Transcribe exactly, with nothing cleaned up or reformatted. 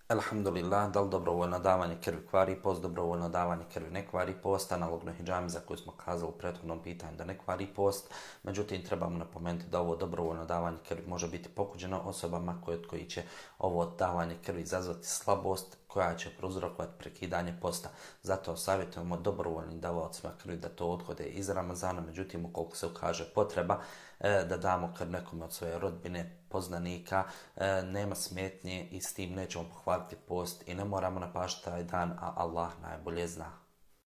Alhamdulillah, da li dobrovoljno davanje krvi kvari post, dobrovoljno davanje krvi ne kvari post, analogno hidžami za koju smo kazali u prethodnom pitanju da ne kvari post. Međutim, trebamo napomenuti da ovo dobrovoljno davanje krvi može biti pokuđeno osobama koje, od koji će ovo davanje krvi izazvati slabost koja će prouzrokovati prekidanje posta. Zato savjetujemo dobrovoljnim davaocima krvi da to odhode iz Ramazana, međutim ukoliko se ukaže potreba e, da damo krv nekome od svoje rodbine, poznanika, e, nema smetnje i s tim nećemo pohvaliti post i ne moramo napažati taj dan, a Allah najbolje zna.